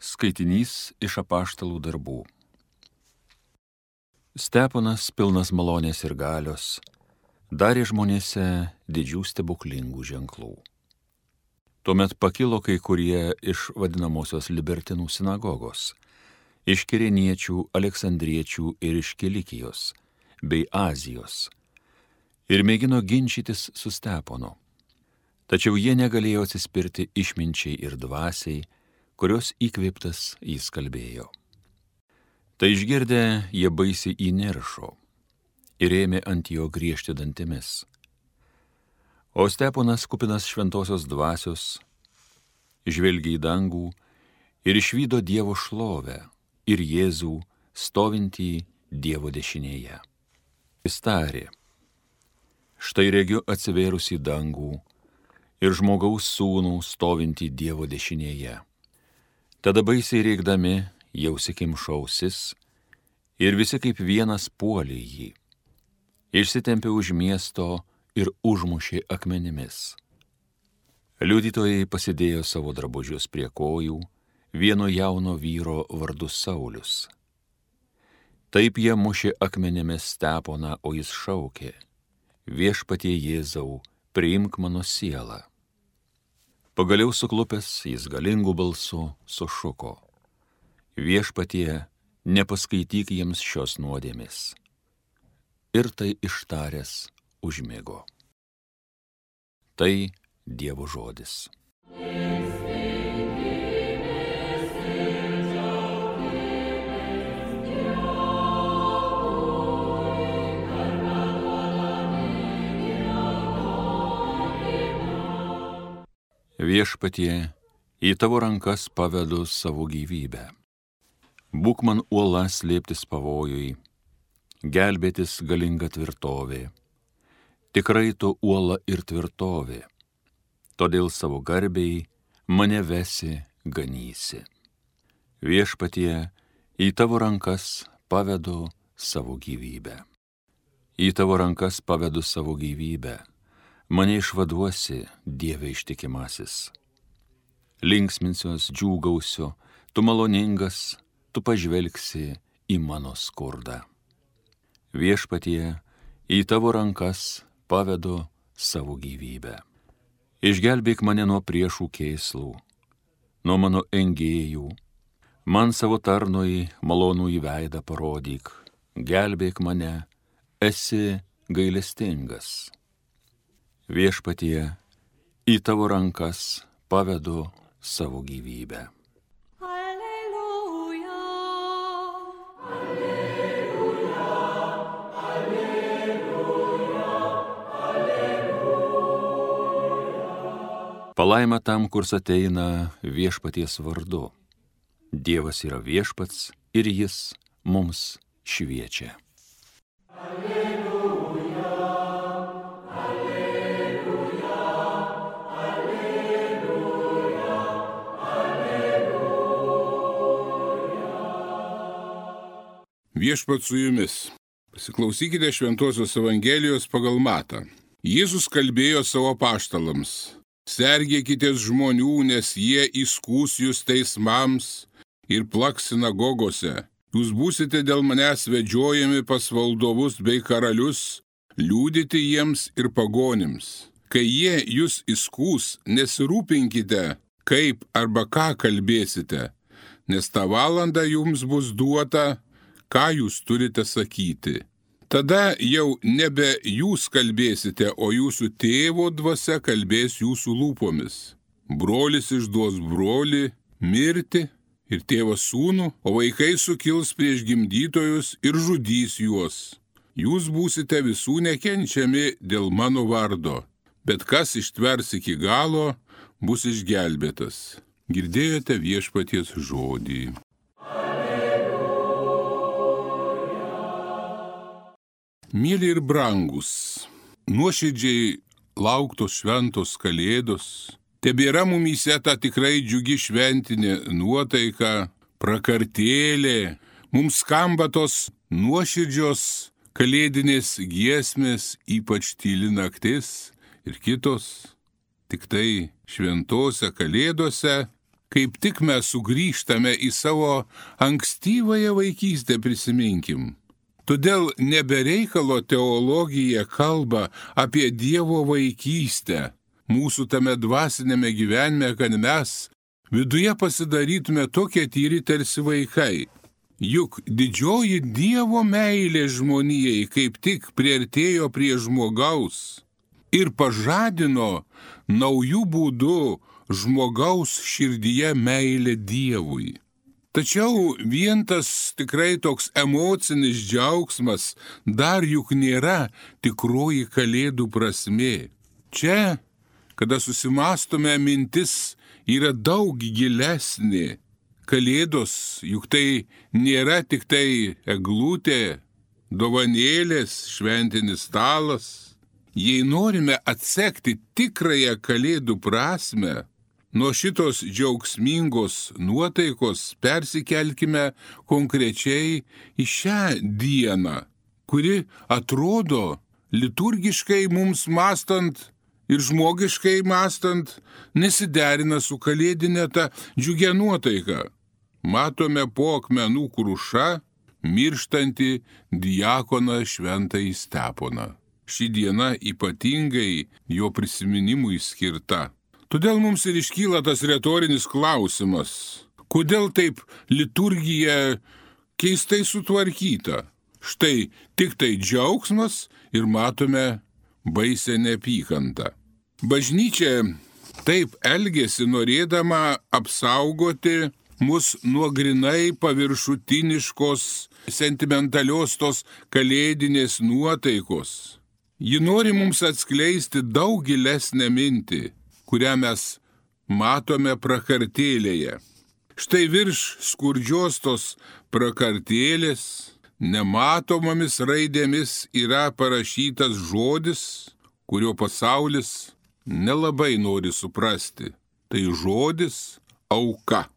Skaitinys iš apaštalų darbų. Steponas, pilnas malonės ir galios, darė žmonėse didžių stebuklingų ženklų. Tuomet pakilo kai kurie iš vadinamosios libertinų sinagogos, iš Kireniečių, Aleksandriečių ir iš Kilikijos, bei Azijos, ir mėgino ginčytis su Steponu. Tačiau jie negalėjo atsispirti išminčiai ir dvasiai, kurios įkvėptas jis kalbėjo. Tai išgirdę, jie baisiai įniršo ir ėmė ant jo griežti dantimis. O Steponas, kupinas šventosios dvasios, žvelgė į dangų ir išvydo Dievo šlovę ir Jėzų stovintį Dievo dešinėje. Jis tarė: štai regiu atsivėrusį dangų ir žmogaus sūnų stovintį Dievo dešinėje. Tada baisiai rėkdami jau sikimšo ausis ir visi kaip vienas puolė jį. Išsitempė už miesto ir užmušė akmenimis. Liudytojai pasidėjo savo drabužius prie kojų vieno jauno vyro vardu Saulius. Taip jie mušė akmenimis Steponą, o jis šaukė: viešpatie Jėzau, priimk mano sielą. Pagaliau suklupęs jis galingų balsu sušuko: viešpatie, nepaskaityk jiems šios nuodėmės. Ir tai ištaręs užmigo. Tai Dievo žodis. Viešpatie, į tavo rankas pavedu savo gyvybę. Būk man uola slėptis pavojui, gelbėtis galinga tvirtovė. Tikrai tu uola ir tvirtovė, todėl savo garbei mane vesi, ganysi. Viešpatie, į tavo rankas pavedu savo gyvybę. Į tavo rankas pavedu savo gyvybę. Mane išvaduosi, Dieve ištikimasis. Linksminsiuos, džiūgausiu, tu maloningas, tu pažvelgsi į mano skurdą. Viešpatie, į tavo rankas pavedu savo gyvybę. Išgelbėk mane nuo priešų kėslų, nuo mano engėjų. Man savo tarnui malonų į veidą parodyk. Gelbėk mane, esi gailestingas. Viešpatie, į tavo rankas pavedu savo gyvybę. Alleluja, alleluja, alleluja, alleluja. Palaima tam, kurs ateina viešpaties vardu. Dievas yra viešpats ir jis mums šviečia. Viešpats su jumis. Pasiklausykite Šventosios Evangelijos pagal Matą. Jėzus kalbėjo savo apaštalams: sergėkitės žmonių, nes jie įskųs jūs teismams ir plaks sinagogose. Jūs būsite dėl manęs vedžiojami pas valdovus bei karalius, liudyti jiems ir pagonims. Kai jie jūs įskūs, nesirūpinkite, kaip arba ką kalbėsite, nes tą valandą jums bus duota, ką jūs turite sakyti. Tada jau nebe jūs kalbėsite, o jūsų tėvo dvasia kalbės jūsų lūpomis. Brolis išduos brolį mirti ir tėvas sūnų, o vaikai sukils prieš gimdytojus ir žudys juos. Jūs būsite visų nekenčiami dėl mano vardo, bet kas ištvers iki galo, bus išgelbėtas. Girdėjote viešpaties žodį. Mėly ir brangus, nuoširdžiai lauktos šventos kalėdos, tebėra mumyse ta tikrai džiugi šventinė nuotaika, prakartėlė, mums skamba tos nuoširdžios kalėdinės giesmės, ypač tyli naktis ir kitos. Tik tai šventose kalėdose kaip tik mes sugrįžtame į savo ankstyvąją vaikystę, prisiminkim. Todėl nebereikalo teologija kalba apie Dievo vaikystę mūsų tame dvasinėme gyvenime, kad mes viduje pasidarytume tokie tyri tarsi vaikai. Juk didžioji Dievo meilė žmonijai kaip tik priartėjo prie žmogaus ir pažadino naujų būdų žmogaus širdyje meilę Dievui. Tačiau vien tas tikrai toks emocinis džiaugsmas dar juk nėra tikroji Kalėdų prasmė. Čia, kada susimastome, mintis yra daug gilesnė. Kalėdos juk tai nėra tik tai eglutė, dovanėlės, šventinis stalas. Jei norime atsekti tikrąją Kalėdų prasmę, nuo šitos džiaugsmingos nuotaikos persikelkime konkrečiai į šią dieną, kuri atrodo liturgiškai mums mąstant ir žmogiškai mąstant nesiderina su kalėdinė ta džiugia nuotaika. Matome po akmenų kruša mirštantį diakoną šventąjį Steponą. Ši diena ypatingai jo prisiminimui skirta. Todėl mums ir iškyla tas retorinis klausimas, kodėl taip liturgija keistai sutvarkyta. Štai tik tai džiaugsmas ir matome baisę neapykantą. Bažnyčia taip elgėsi norėdama apsaugoti mus nuo grinai paviršutiniškos, sentimentalios tos kalėdinės nuotaikos. Ji nori mums atskleisti daug gilesnę mintį, kurią mes matome prakartėlėje. Štai virš skurdžios tos prakartėlės nematomomis raidėmis yra parašytas žodis, kurio pasaulis nelabai nori suprasti. Tai žodis auka.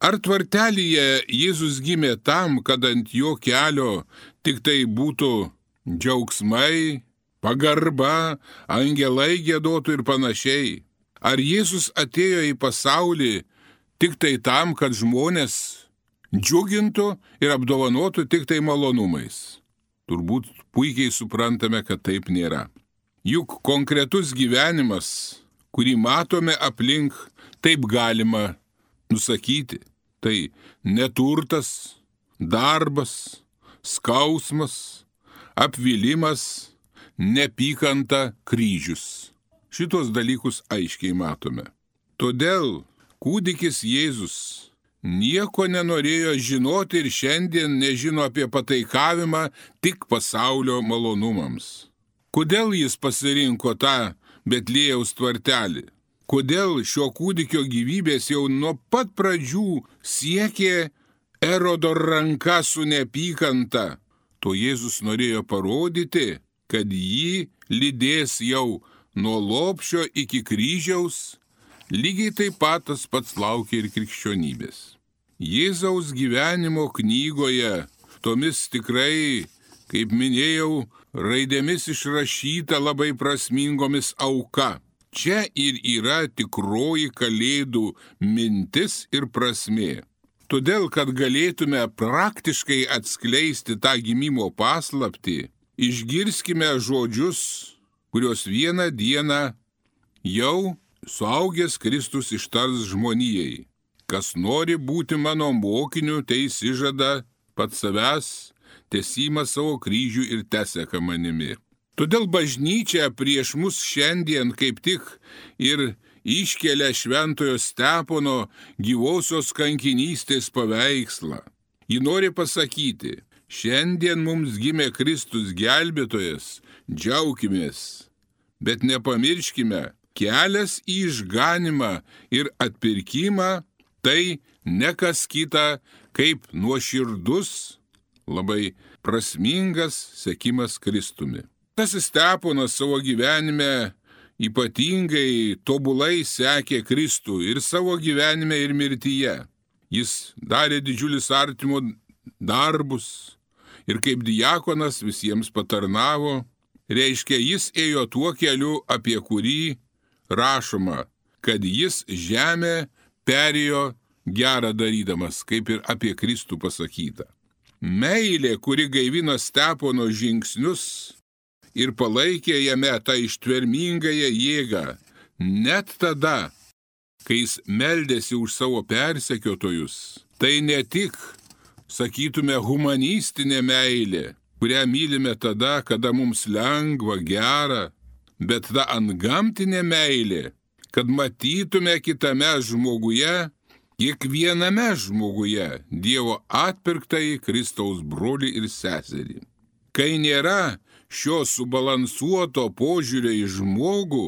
Ar tvartelyje Jėzus gimė tam, kad ant jo kelio tik tai būtų džiaugsmai, pagarba, angelai giedotų ir panašiai? Ar Jėzus atėjo į pasaulį tik tai tam, kad žmonės džiugintų ir apdovanotų tik tai malonumais? Turbūt puikiai suprantame, kad taip nėra. Juk konkretus gyvenimas, kurį matome aplink, taip galima nusakyti. Tai neturtas, darbas, skausmas, apvilimas, neapykanta, kryžius. Šitos dalykus aiškiai matome. Todėl kūdikis Jėzus nieko nenorėjo žinoti ir šiandien nežino apie pataikavimą tik pasaulio malonumams. Kodėl jis pasirinko tą Betliejaus tvartelį? Kodėl šio kūdikio gyvybės jau nuo pat pradžių siekė Erodo ranka su neapykanta? To Jėzus norėjo parodyti, kad jį lydės jau nuo lopšio iki kryžiaus, lygiai taip pat tas pats laukia ir krikščionybės. Jėzaus gyvenimo knygoje tomis tikrai, kaip minėjau, raidėmis išrašyta labai prasmingomis auka. Čia ir yra tikroji Kalėdų mintis ir prasmė. Todėl, kad galėtume praktiškai atskleisti tą gimimo paslaptį, išgirskime žodžius, kurios vieną dieną jau suaugęs Kristus ištars žmonijai. Kas nori būti mano mokiniu, tai išsižada pats savęs, tesima savo kryžių ir teseka manimi. Todėl bažnyčia prieš mus šiandien kaip tik ir iškelia šventojo Stepono gyvosios kankinystės paveikslą. Ji nori pasakyti, šiandien mums gimė Kristus gelbėtojas, džiaukimės, bet nepamirškime, kelias į išganimą ir atpirkimą tai ne kas kita kaip nuoširdus, labai prasmingas sekimas Kristumi. Tas Steponas savo gyvenime ypatingai tobulai sekė Kristų ir savo gyvenime ir mirtyje. Jis darė didžiulis artimo darbus ir kaip diakonas visiems patarnavo. Reiškia, jis ėjo tuo keliu, apie kurį rašoma, kad jis žemę perėjo gerą darydamas, kaip ir apie Kristų pasakyta. Meilė, kuri gaivino Stepono žingsnius ir palaikė jame tą ištvermingąją jėgą, net tada, kai jis meldėsi už savo persekiotojus, tai ne tik, sakytume, humanistinė meilė, kurią mylime tada, kada mums lengva, gera, bet ta antgamtinė meilė, kad matytume kitame žmoguje, kiekviename žmoguje Dievo atpirktąjį Kristaus brolį ir seserį. Kai nėra šio subalansuoto požiūrio į žmogų,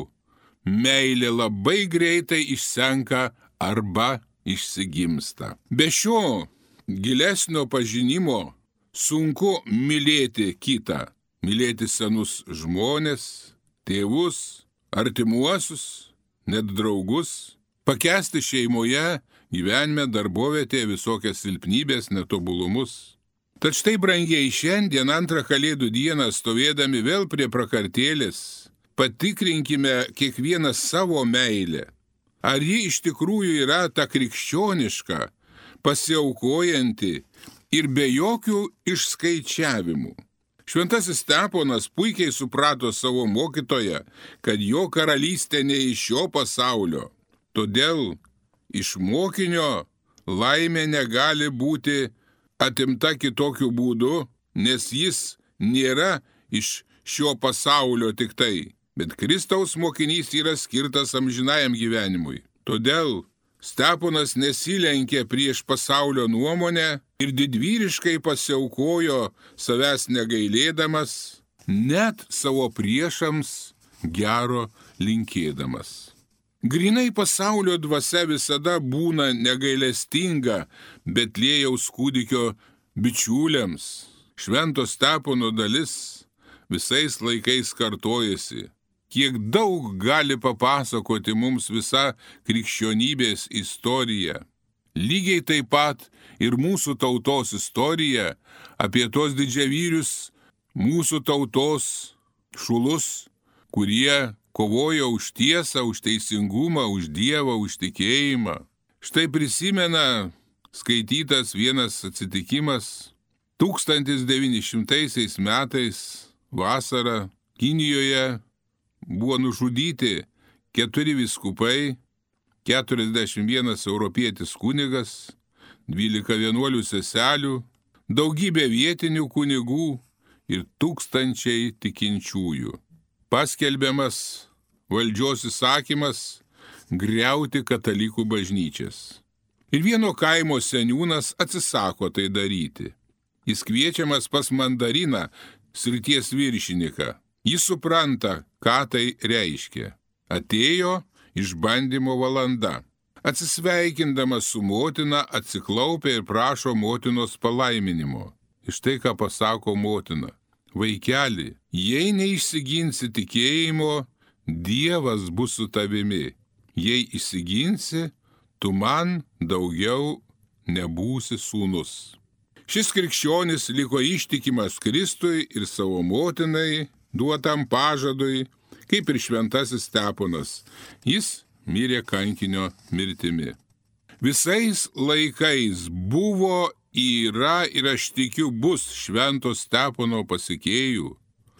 meilė labai greitai išsenka arba išsigimsta. Be šio gilesnio pažinimo sunku mylėti kitą, mylėti senus žmones, tėvus, artimuosius, net draugus, pakęsti šeimoje, gyvenime, darbovietėje visokias silpnybės, netobulumus. Tad štai, brangiai, šiandien antrą Kalėdų dieną stovėdami vėl prie prakartėlės, patikrinkime kiekvieną savo meilę. Ar ji iš tikrųjų yra ta krikščioniška, pasiaukojanti ir be jokių išskaičiavimų. Šventasis Steponas puikiai suprato savo mokytoją, kad jo karalystė ne iš šio pasaulio. Todėl iš mokinio laimė negali būti atimta kitokiu būdu, nes jis nėra iš šio pasaulio tik tai, bet Kristaus mokinys yra skirtas amžinajam gyvenimui. Todėl Steponas nesilenkė prieš pasaulio nuomonę ir didvyriškai pasiaukojo savęs negailėdamas, net savo priešams gero linkėdamas. Grinai pasaulio dvasia visada būna negailestinga Betliejaus kūdikio bičiuliams. Švento Stepono dalis visais laikais kartojasi. Kiek daug gali papasakoti mums visa krikščionybės istorija. Lygiai taip pat ir mūsų tautos istorija apie tos didžiavyrius mūsų tautos šulus, kurie kovojo už tiesą, už teisingumą, už Dievą, už tikėjimą. Štai prisimena skaitytas vienas atsitikimas 1900 metais vasarą Kinijoje buvo nužudyti 4 vyskupai, 41 europietis kunigas, 12 vienuolių seselių, daugybė vietinių kunigų ir tūkstančiai tikinčiųjų. Paskelbiamas valdžios įsakymas griauti katalikų bažnyčias. Ir vieno kaimo seniūnas atsisako tai daryti. Jis kviečiamas pas mandariną, srities viršininką. Jis supranta, ką tai reiškia. Atėjo išbandymo valanda. Atsisveikindamas su motina, atsiklaupia ir prašo motinos palaiminimo. Iš tai, ką pasako motina. Vaikeli, jei neišsiginsi tikėjimo, Dievas bus su tavimi. Jei išsiginsi, tu man daugiau nebūsi sūnus. Šis krikščionis liko ištikimas Kristui ir savo motinai duotam pažadui, kaip ir šventasis Steponas. Jis mirė kankinio mirtimi. Visais laikais buvo, yra ir aš tikiu bus švento Stepono pasekėjų,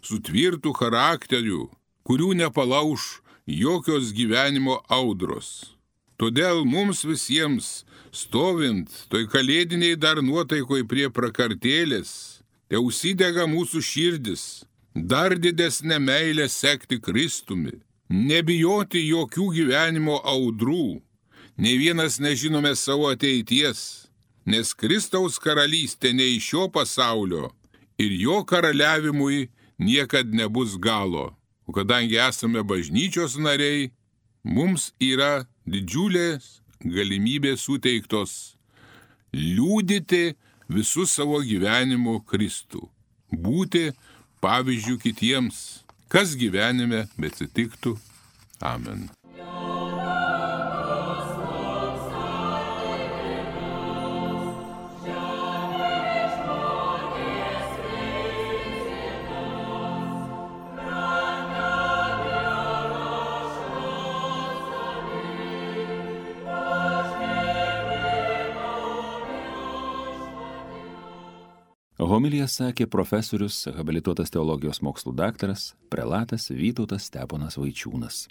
su tvirtu charakteriu, kurių nepalauš jokios gyvenimo audros. Todėl mums visiems, stovint toj kalėdiniai dar nuotaikoj prie prakartėlės, te užsidega mūsų širdis, dar didesnę meilę sekti Kristumi, nebijoti jokių gyvenimo audrų, nei vienas nežinome savo ateities, nes Kristaus karalystė ne iš šio pasaulio ir jo karaliavimui niekad nebus galo. O kadangi esame bažnyčios nariai, mums yra didžiulės galimybės suteiktos liudyti visų savo gyvenimo Kristų, būti pavyzdžių kitiems, kas gyvenime beatsitiktų. Amen. Amen. Homiliją sakė profesorius, habilituotas teologijos mokslų daktaras, prelatas Vytautas Steponas Vaičiūnas.